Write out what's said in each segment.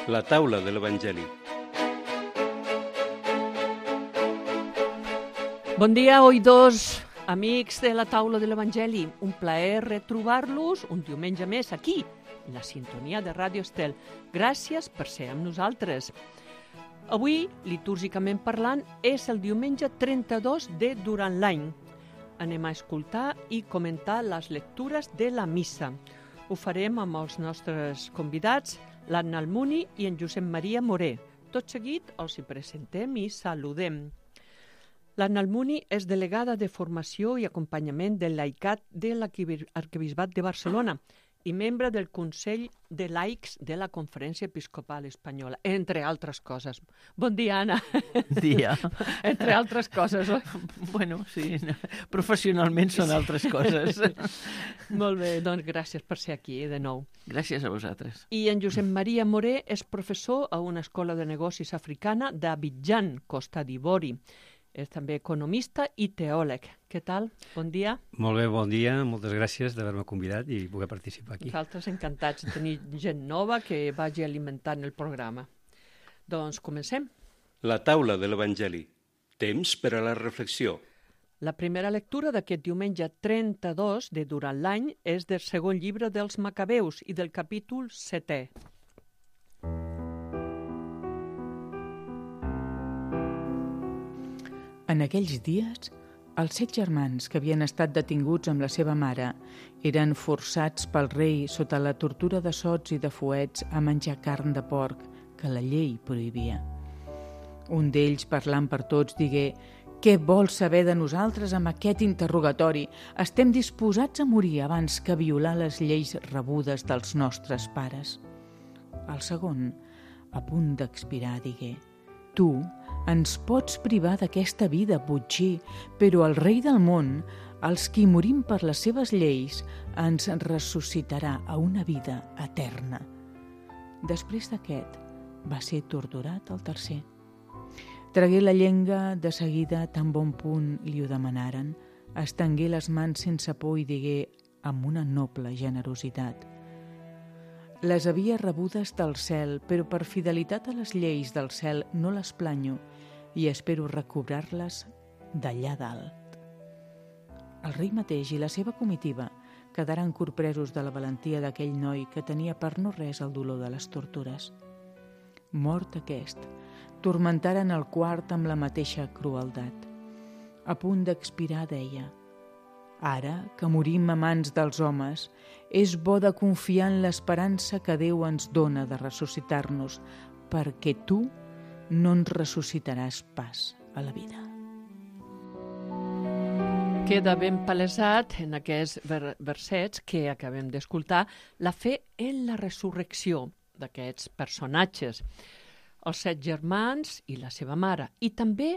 La taula de l'Evangeli. Bon dia, oïdors, amics de la taula de l'Evangeli. Un plaer retrobar-los un diumenge més aquí, en la sintonia de Ràdio Estel. Gràcies per ser amb nosaltres. Avui, litúrgicament parlant, és el diumenge 32 de durant l'any. Anem a escoltar i comentar les lectures de la missa. Ho farem amb els nostres convidats, l'Anna Almuni i en Josep Maria Moré. Tot seguit els hi presentem i saludem. L'Anna Almuni és delegada de formació i acompanyament del laicat de l'Arquebisbat de Barcelona i membre del Consell de Laics de la Conferència Episcopal Espanyola, entre altres coses. Bon dia, Anna. Dia. Entre altres coses, oi? Bueno, sí, professionalment són altres coses. Molt bé, doncs gràcies per ser aquí de nou. Gràcies a vosaltres. I en Josep Maria Moré és professor a una escola de negocis africana d'Abidjan, Costa d'Ivori. És també economista i teòleg. Què tal? Bon dia. Molt bé, bon dia. Moltes gràcies d'haver-me convidat i poder participar aquí. Nosaltres encantats de tenir gent nova que vagi alimentant el programa. Doncs comencem. La taula de l'Evangeli. Temps per a la reflexió. La primera lectura d'aquest diumenge 32 de durant l'any és del segon llibre dels Macabeus i del capítol 7è. En aquells dies, els 7 germans que havien estat detinguts amb la seva mare eren forçats pel rei sota la tortura de sots i de fuets a menjar carn de porc que la llei prohibia. Un d'ells, parlant per tots, digué: «Què vols saber de nosaltres amb aquest interrogatori? Estem disposats a morir abans que violar les lleis rebudes dels nostres pares». El segon, a punt d'expirar, digué: «Tu ens pots privar d'aquesta vida, botxí, però el rei del món, els qui morim per les seves lleis, ens ressuscitarà a una vida eterna». Després d'aquest, va ser torturat el tercer. Tragué la llengua de seguida tan bon punt li ho demanaren, estengué les mans sense por i digué amb una noble generositat: «Les havia rebudes del cel, però per fidelitat a les lleis del cel no les planyo i espero recobrar-les d'allà dalt». El rei mateix i la seva comitiva quedaren corpresos de la valentia d'aquell noi que tenia per no res el dolor de les tortures. Mort aquest, tormentaren el quart amb la mateixa crueldat. A punt d'expirar deia: «Ara que morim a mans dels homes, és bo de confiar en l'esperança que Déu ens dona de ressuscitar-nos, perquè tu no ens ressuscitaràs pas a la vida». Queda ben palesat en aquests versets que acabem d'escoltar la fe en la resurrecció d'aquests personatges, els 7 germans i la seva mare, i també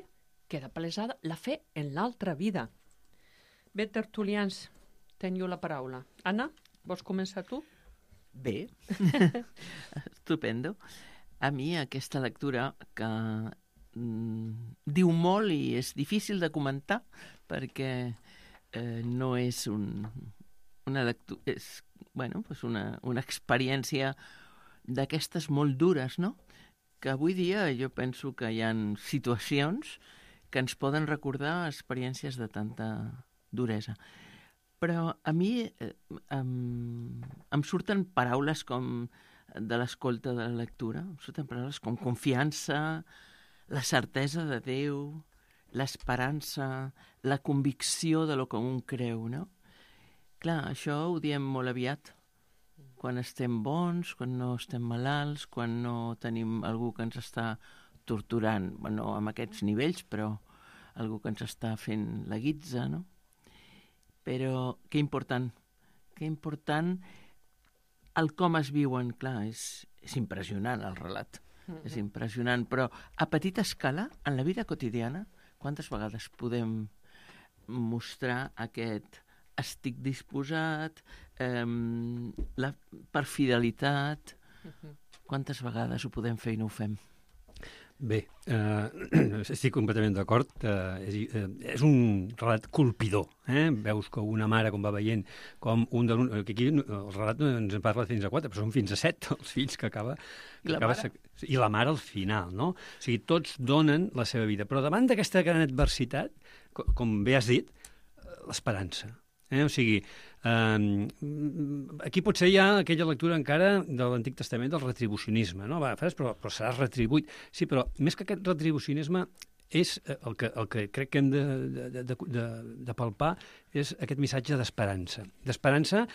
queda palesada la fe en l'altra vida. Bé, tertulians, teniu la paraula. Anna, vols començar tu? Bé, estupendo. A mi aquesta lectura que diu molt i és difícil de comentar perquè no és una lectura, és una experiència d'aquestes molt dures, no? Que avui dia jo penso que hi ha situacions que ens poden recordar experiències de tanta duresa. Però a mi em surten paraules com de l'escolta de la lectura, em surten paraules com confiança, la certesa de Déu, l'esperança, la convicció de lo que un creu, no? Clar, això ho diem molt aviat, quan estem bons, quan no estem malalts, quan no tenim algú que ens està torturant, bueno, amb aquests nivells, però algú que ens està fent la guitza, no? Però que important el com es viuen, clar, és impressionant el relat, és impressionant, però a petita escala, en la vida quotidiana, quantes vegades podem mostrar aquest estic disposat, per fidelitat, quantes vegades ho podem fer i no ho fem? Bé, estic completament d'acord. És un relat colpidor. Veus que una mare, com va veient, com un de que aquí el relat no ens en parla fins a 4, però són fins a 7 els fills que acaba... I la mare al final, no? O sigui, tots donen la seva vida. Però davant d'aquesta gran adversitat, com bé has dit, l'esperança. O sigui, aquí potser hi ha aquella lectura encara de l'Antic Testament del retribucionisme, no? Però seràs retribuït. Sí, però més que aquest retribucionisme és el que crec que hem de palpar és aquest missatge d'esperança. D'esperança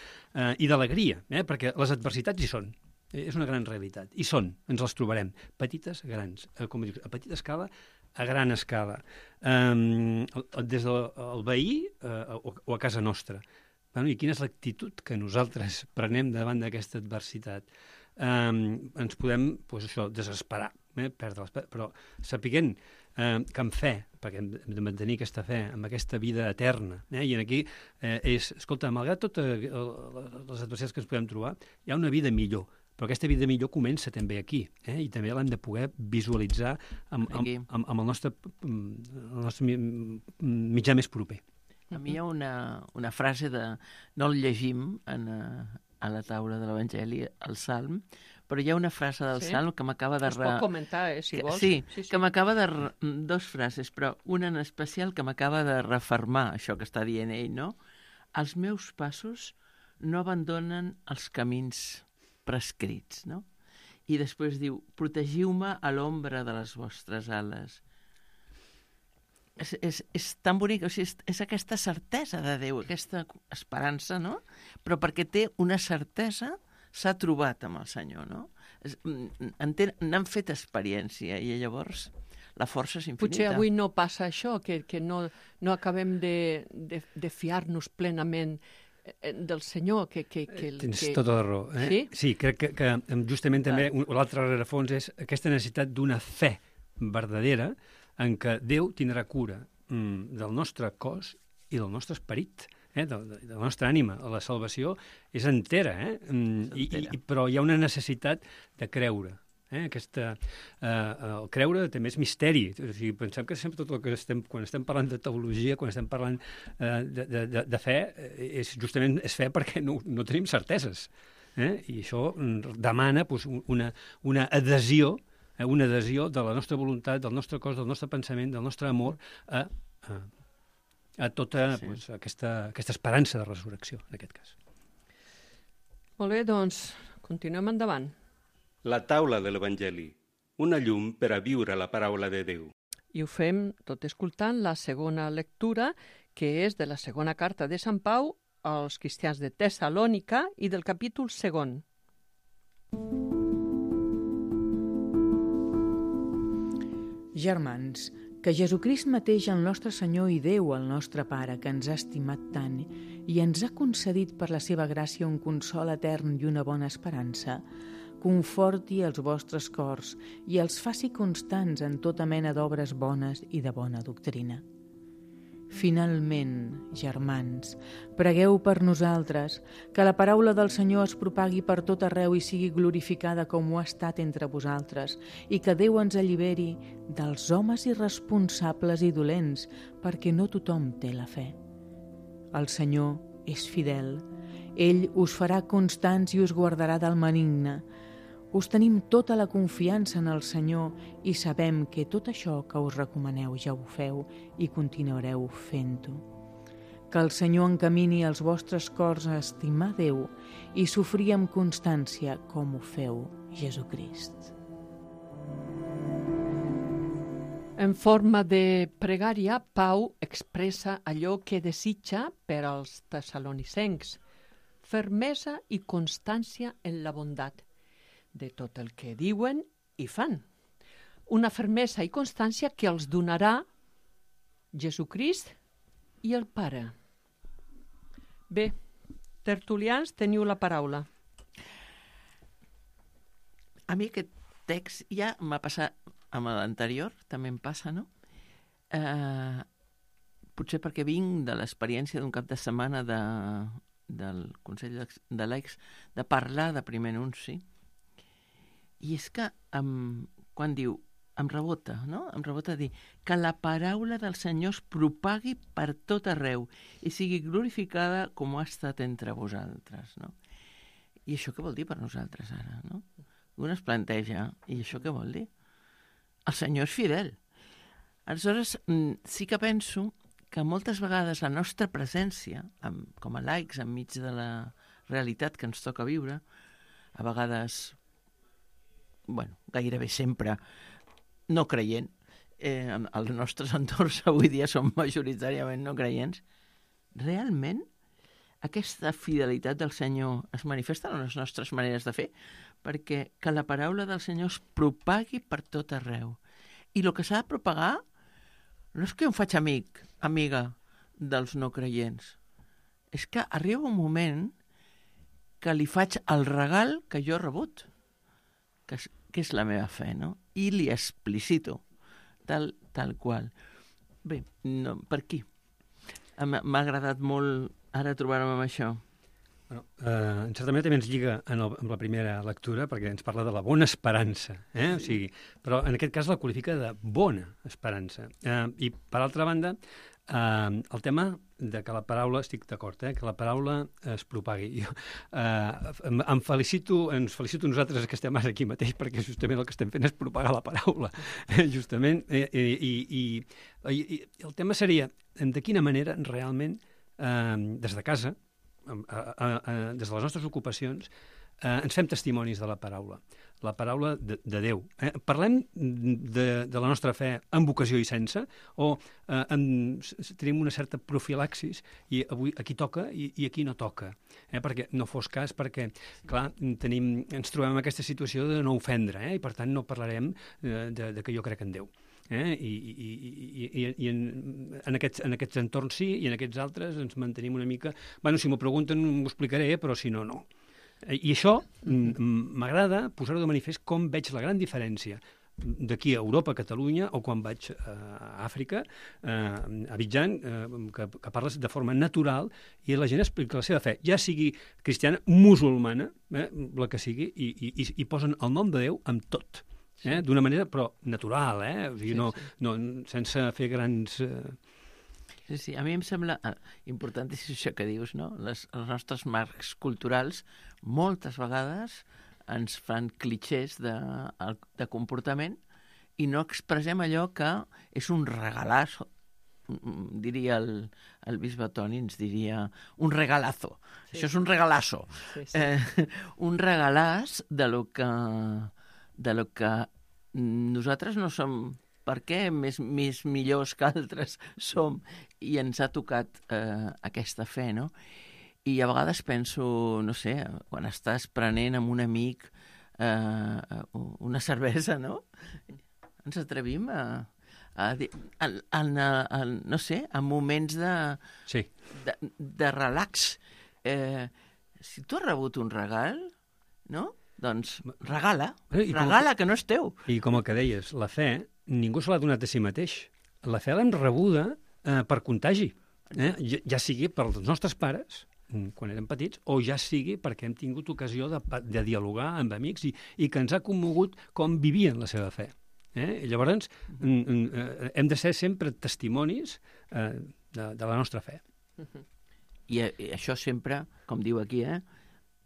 i d'alegria, perquè les adversitats hi són. És una gran realitat. I ens les trobarem. Petites, grans. Com dius, a petita escala, a gran escala. Des del veí o a casa nostra. I quina és l'actitud que nosaltres prenem davant d'aquesta adversitat? Ens podem, desesperar, perdre l'esperança, però sapiguent que amb fe, perquè hem de mantenir aquesta fe, amb aquesta vida eterna, i aquí escolta, malgrat totes les adversitats que ens podem trobar, hi ha una vida millor, però aquesta vida millor comença també aquí, i també l'hem de poder visualitzar amb el nostre mitjà més proper. A mi hi ha una frase no el llegim a la taula de l'Evangeli, al Salm, però hi ha una frase del Salm que m'acaba de... Es pot comentar, si vols. Sí, que m'acaba de... Dos frases, però una en especial que m'acaba de refermar això que està dient ell, no? Els meus passos no abandonen els camins prescrits, no? I després diu, protegiu-me a l'ombra de les vostres ales. És tan bonic, o sigui, és aquesta certesa de Déu, aquesta esperança, no? Però perquè té una certesa, s'ha trobat amb el Senyor, no? N'han fet experiència i llavors la força és infinita. Potser avui no passa això, que no acabem de fiar-nos plenament del Senyor. Tens tota la raó. Sí? Sí, crec que justament també l'altre rerefons és aquesta necessitat d'una fe verdadera en què Déu tindrà cura del nostre cos i del nostre esperit, de la nostra ànima. La salvació és entera, però hi ha una necessitat de creure. El creure també és misteri. O sigui, pensem que sempre tot el que quan estem parlant de teologia, quan estem parlant de fe, justament és fe perquè no tenim certeses. I això demana una adhesió de la nostra voluntat, del nostre cos, del nostre pensament, del nostre amor a tota aquesta esperança de resurrecció, en aquest cas. Molt bé, doncs, continuem endavant. La taula de l'Evangeli, una llum per a viure la paraula de Déu. I ho fem tot escoltant la segona lectura, que és de la segona carta de Sant Pau als cristians de Tessalònica i del capítol 2. Germans, que Jesucrist mateix, el nostre Senyor i Déu, el nostre Pare, que ens ha estimat tant i ens ha concedit per la seva gràcia un consol etern i una bona esperança, conforti els vostres cors i els faci constants en tota mena d'obres bones i de bona doctrina. Finalment, germans, pregueu per nosaltres, que la paraula del Senyor es propagui per tot arreu i sigui glorificada com ho ha estat entre vosaltres, i que Déu ens alliberi dels homes irresponsables i dolents, perquè no tothom té la fe. El Senyor és fidel. Ell us farà constants i us guardarà del maligne. Us tenim tota la confiança en el Senyor i sabem que tot això que us recomaneu ja ho feu i continuareu fent-ho. Que el Senyor encamini els vostres cors a estimar Déu i sofrir amb constància com ho feu Jesucrist. En forma de pregària, Pau expressa allò que desitja per als tessalonicencs, fermesa i constància en la bondat de tot el que diuen i fan. Una fermesa i constància que els donarà Jesucrist i el Pare. Bé, tertulians, teniu la paraula. A mi aquest text ja m'ha passat amb l'anterior, també em passa, no? Potser perquè vinc de l'experiència d'un cap de setmana del Consell de Laics de parlar de primer anunci. I és que quan diu em rebota, no? Em rebota dir que la paraula del Senyor es propagui per tot arreu i sigui glorificada com ha estat entre vosaltres, no? I això què vol dir per nosaltres ara, no? Un es planteja, i això què vol dir? El Senyor és fidel. Aleshores, sí que penso que moltes vegades la nostra presència, com a laics, enmig de la realitat que ens toca viure, a vegades, gairebé sempre no creient, els nostres entorns avui dia són majoritàriament no creients, realment aquesta fidelitat del Senyor es manifesta en les nostres maneres de fer, perquè que la paraula del Senyor es propagui per tot arreu. I el que s'ha de propagar no és que em faig amiga dels no creients, és que arriba un moment que li faig el regal que jo he rebut, que és la meva fe, no? I li explicito, tal qual. Bé, no, per aquí. M'ha agradat molt ara trobar-me amb això. Bueno, en certa manera també ens lliga amb la primera lectura, perquè ens parla de la bona esperança, o sigui, però en aquest cas la qualifica de bona esperança. I, per altra banda, el tema de que la paraula, estic d'acord, que la paraula es propagui. Jo, ens felicito nosaltres que estem ara aquí mateix, perquè justament el que estem fent és propagar la paraula, justament. I el tema seria de quina manera realment, des de casa, des de les nostres ocupacions, ens fem testimonis de la paraula de Déu. Parlem de la nostra fe amb vocació i sense, o tenim una certa profilaxis i avui aquí toca i aquí no toca, perquè no fos cas, perquè, clar, ens trobem en aquesta situació de no ofendre, i per tant no parlarem de que jo crec en Déu. I en aquests entorns sí, i en aquests altres ens mantenim una mica... Si m'ho pregunten m'ho explicaré, però si no, no. I això m'agrada posar-ho de manifest com veig la gran diferència d'aquí a Europa, a Catalunya, o quan vaig a Àfrica, a Abidjan, que parles de forma natural i la gent explica la seva fe, ja sigui cristiana, musulmana, la que sigui, i posen el nom de Déu amb tot. D'una manera, però natural, o sigui, no, sense fer grans... Sí, a mi em sembla importantíssim això que dius, no? Els nostres marcs culturals moltes vegades ens fan clichés de comportament i no expressem allò que és un regalazo, diria el bisbe Toni, ens diria un regalazo. Sí. Això és un regalazo. Sí. Un regalàs de lo que nosaltres no som, per què més millors que altres som, i ens ha tocat aquesta fe, no? I a vegades penso, no sé, quan estàs prenent amb un amic una cervesa, no? Ens atrevim no sé, en moments de relax. Si tu has rebut un regal, no? Doncs regala, que no és teu. I com el que deies, la fe, ningú se l'ha donat a si mateix. La fe l'hem rebuda per contagi, ja sigui pels nostres pares, quan érem petits, o ja sigui perquè hem tingut ocasió de dialogar amb amics i que ens ha commogut com vivien la seva fe. Llavors, hem de ser sempre testimonis de la nostra fe. I això sempre, com diu aquí,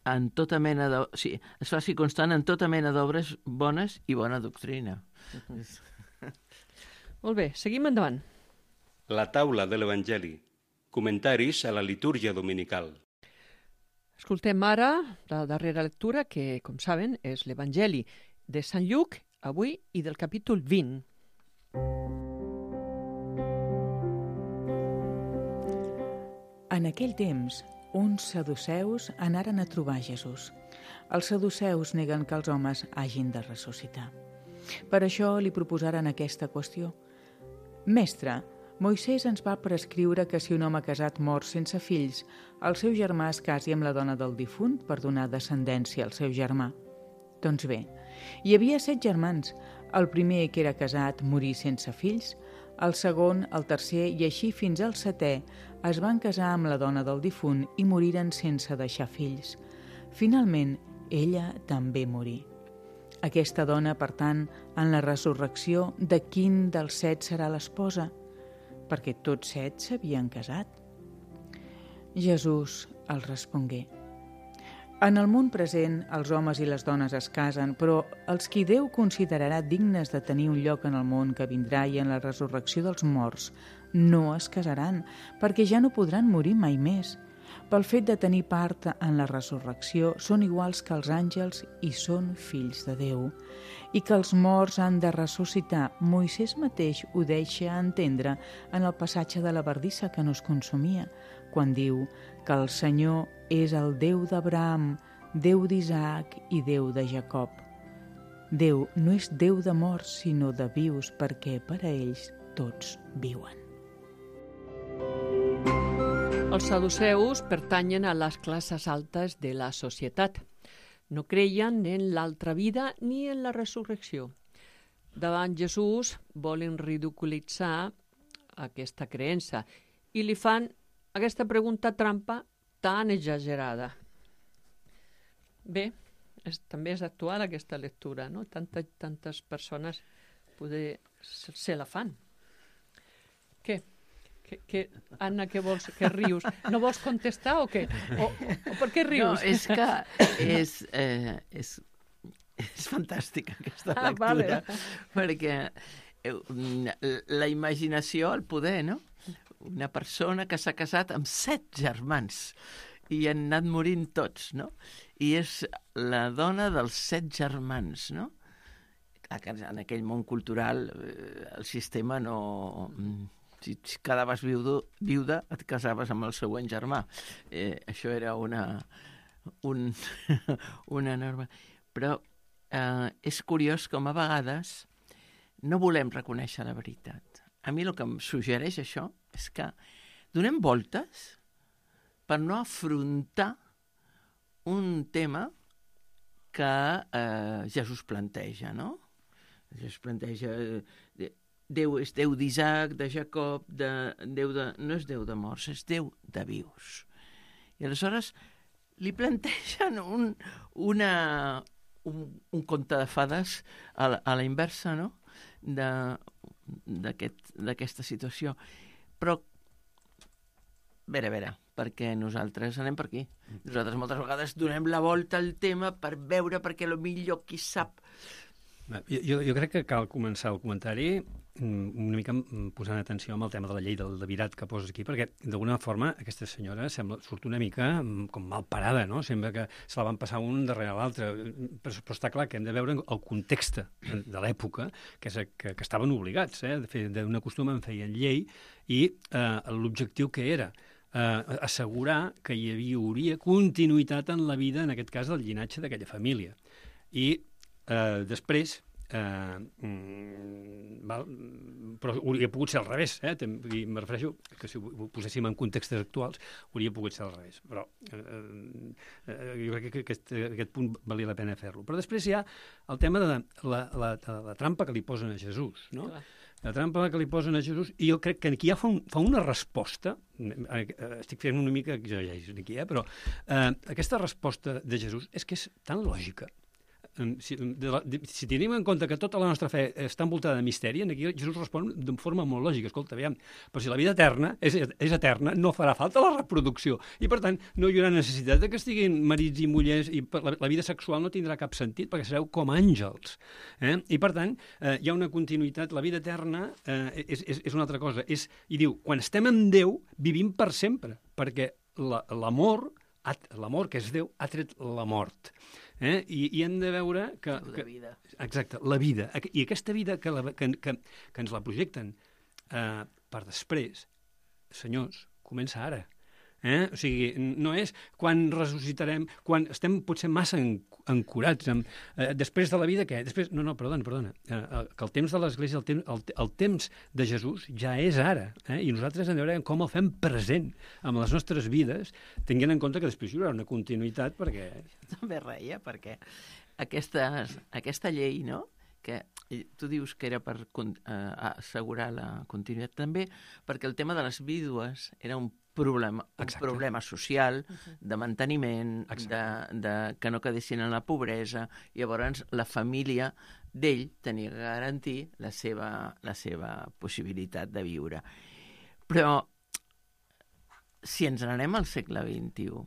en tota mena de... Sí, es faci constant en tota mena d'obres bones i bona doctrina. Molt bé, seguim endavant. La taula de l'Evangeli. Comentaris a la litúrgia dominical. Escoltem ara la darrera lectura, que, com saben, és l'Evangeli de Sant Lluc, avui, i del capítol 20. En aquell temps, uns saduceus anaren a trobar Jesús. Els saduceus neguen que els homes hagin de ressuscitar. Per això li proposaren aquesta qüestió. Mestre, Moisès ens va prescriure que si un home casat mor sense fills, el seu germà es casi amb la dona del difunt per donar descendència al seu germà. Doncs bé, hi havia 7 germans. El primer, que era casat, morí sense fills. El segon, el tercer i així fins al 7è es van casar amb la dona del difunt i moriren sense deixar fills. Finalment, ella també morí. Aquesta dona, per tant, en la resurrecció, de quin dels 7 serà l'esposa? Perquè tots 7 s'havien casat. Jesús els respongué: en el món present, els homes i les dones es casen, però els qui Déu considerarà dignes de tenir un lloc en el món que vindrà i en la resurrecció dels morts no es casaran, perquè ja no podran morir mai més. Pel fet de tenir part en la resurrecció, són iguals que els àngels i són fills de Déu. I que els morts han de ressuscitar, Moisès mateix ho deixa entendre en el passatge de la bardissa que no es consumia, quan diu que el Senyor és el Déu d'Abraham, Déu d'Isaac i Déu de Jacob. Déu no és Déu de morts, sinó de vius, perquè per a ells tots viuen. Els saduceus pertanyen a les classes altes de la societat. No creien en l'altra vida ni en la resurrecció. Davant Jesús volen ridiculitzar aquesta creença i li fan aquesta pregunta trampa tan exagerada. Bé, també és actual aquesta lectura, no? Tantes persones poder se la fan. Què? Anna, què vols? Què rius? No vols contestar o què? O per què rius? No, és que és fantàstica aquesta lectura, perquè la imaginació, el poder, no? Una persona que s'ha casat amb 7 germans i han anat morint tots, no? I és la dona dels 7 germans, no? En aquell món cultural el sistema no... Si quedaves viuda, et casaves amb el següent germà. Això era una norma. Però és curiós com a vegades no volem reconèixer la veritat. A mi el que em suggereix això és que donem voltes per no afrontar un tema que Jesús planteja, no? Jesús planteja... Déu és Déu d'Isaac, de Jacob, no és Déu de morts, és Déu de vius. I aleshores li plantegen un conte de fades a la inversa, no? D'aquesta situació. Però, a veure, perquè nosaltres anem per aquí. Nosaltres moltes vegades donem la volta al tema per veure, perquè potser qui sap. Jo crec que cal començar el comentari una mica posant atenció amb el tema de la llei del devirat que poses aquí, perquè d'alguna forma aquesta senyora surt una mica com mal parada, no? Sembla que se la van passar un darrere l'altre, però està clar que hem de veure el context de l'època, que estaven obligats, d'un costum en feien llei, i l'objectiu que era assegurar que hi hauria continuïtat en la vida, en aquest cas del llinatge d'aquella família. I després, però hauria pogut ser al revés, i me refereixo que si ho poséssim en contextes actuals hauria pogut ser al revés, però jo crec que aquest punt valia la pena fer-lo. Però després hi ha el tema de la trampa que li posen a Jesús, no? La trampa que li posen a Jesús, i jo crec que aquí ja fa una resposta, estic fent una mica exagerant aquí, però aquesta resposta de Jesús és que és tan lògica. Si tenim en compte que tota la nostra fe està envoltada de misteri, aquí Jesús respon de forma molt lògica. Escolta, aviam, però si la vida eterna és eterna, no farà falta la reproducció. I, per tant, no hi haurà necessitat de que estiguin marits i mullers, i la vida sexual no tindrà cap sentit, perquè sereu com àngels. I, per tant, hi ha una continuïtat. La vida eterna és una altra cosa. I diu, quan estem amb Déu, vivim per sempre, perquè l'amor, que és Déu, ha tret la mort. I hem de veure que... La vida. Exacte, la vida. I aquesta vida que ens la projecten per després, senyors, comença ara. O sigui, no és quan ressuscitarem, quan estem potser massa ancorats. Després de la vida, què? No, perdona. Que el temps de l'Església, el temps de Jesús ja és ara. I nosaltres hem de veure com el fem present amb les nostres vides, tenint en compte que després hi haurà una continuïtat, perquè... També reia, perquè aquesta llei, no?, que tu dius que era per assegurar la continuïtat, també perquè el tema de les vídues era un problema social, de manteniment, que no quedessin en la pobresa. Llavors, la família d'ell tenia que garantir la seva possibilitat de viure. Però, si ens n'anem al segle XXI,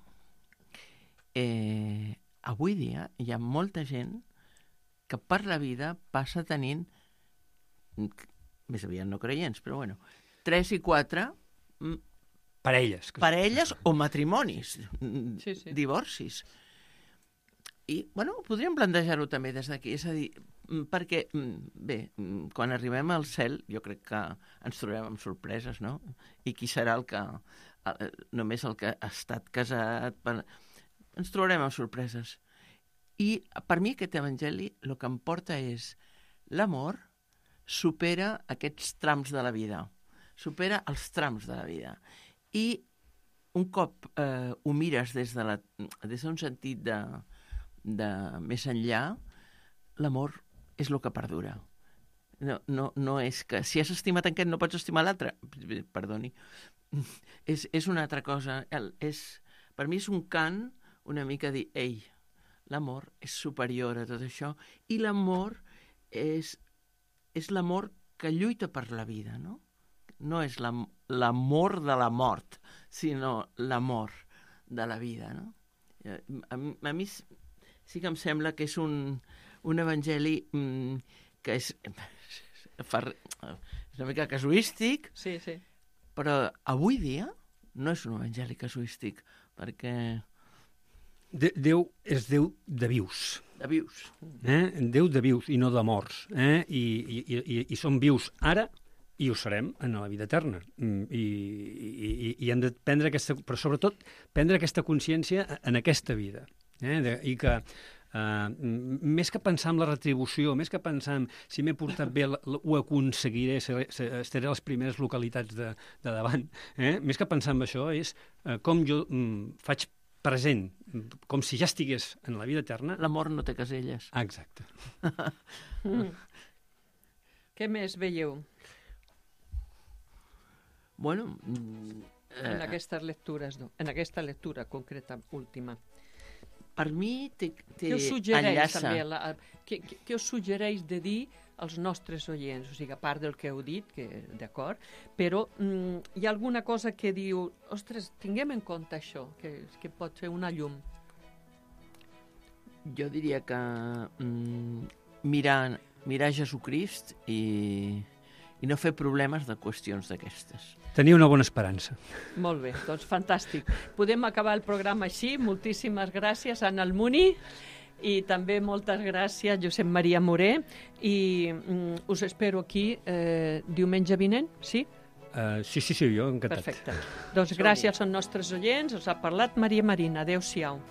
avui dia hi ha molta gent que per la vida passa tenint, més aviat no creients, però bueno, 3 i 4 parelles o matrimonis, divorcis. I, bueno, podríem plantejar-ho també des d'aquí, és a dir, perquè, bé, quan arribem al cel, jo crec que ens trobarem amb sorpreses, no? I qui serà només el que ha estat casat? Ens trobarem amb sorpreses. I per mi aquest evangeli el que em porta és l'amor supera aquests trams de la vida, supera els trams de la vida. I un cop ho mires des d'un sentit de més enllà, l'amor és el que perdura. No és que si has estimat aquest no pots estimar l'altre. Perdoni. És una altra cosa. Per mi és un cant una mica dir, ei, l'amor és superior a tot això, i l'amor és l'amor que lluita per la vida, no? No és l'amor de la mort, sinó l'amor de la vida, no? A mi sí que em sembla que és un evangeli que és una mica casuístic, però avui dia no és un evangeli casuístic, perquè Déu és Déu de vius. De vius. Déu de vius i no de morts. I som vius ara i ho serem en la vida eterna. I hem de prendre però sobretot prendre aquesta consciència en aquesta vida. I que més que pensar en la retribució, més que pensar en si m'he portat bé, ho aconseguiré, estaré a les primeres localitats de davant, més que pensar en això és com jo faig present, com si ja estigués en la vida eterna. L'amor no té caselles. Exacte. Què més veieu? Bueno... en aquestes lectures, en aquesta lectura concreta última. Per mi què us suggereix, també, què us suggereix de dir als nostres oients? O sigui, a part del que heu dit, que d'acord, però hi ha alguna cosa que diu, ostres, tinguem en compte això, que pot fer una llum? Jo diria que mirar Jesucrist i no fer problemes de qüestions d'aquestes. Tenir una bona esperança. Molt bé, doncs fantàstic. Podem acabar el programa així. Moltíssimes gràcies, Anna Almuni, i també moltes gràcies, Josep Maria Moré, i us espero aquí diumenge vinent, sí? Sí, jo encantat. Perfecte. Doncs gràcies als nostres oients, us ha parlat Maria Marina. Adéu-siau.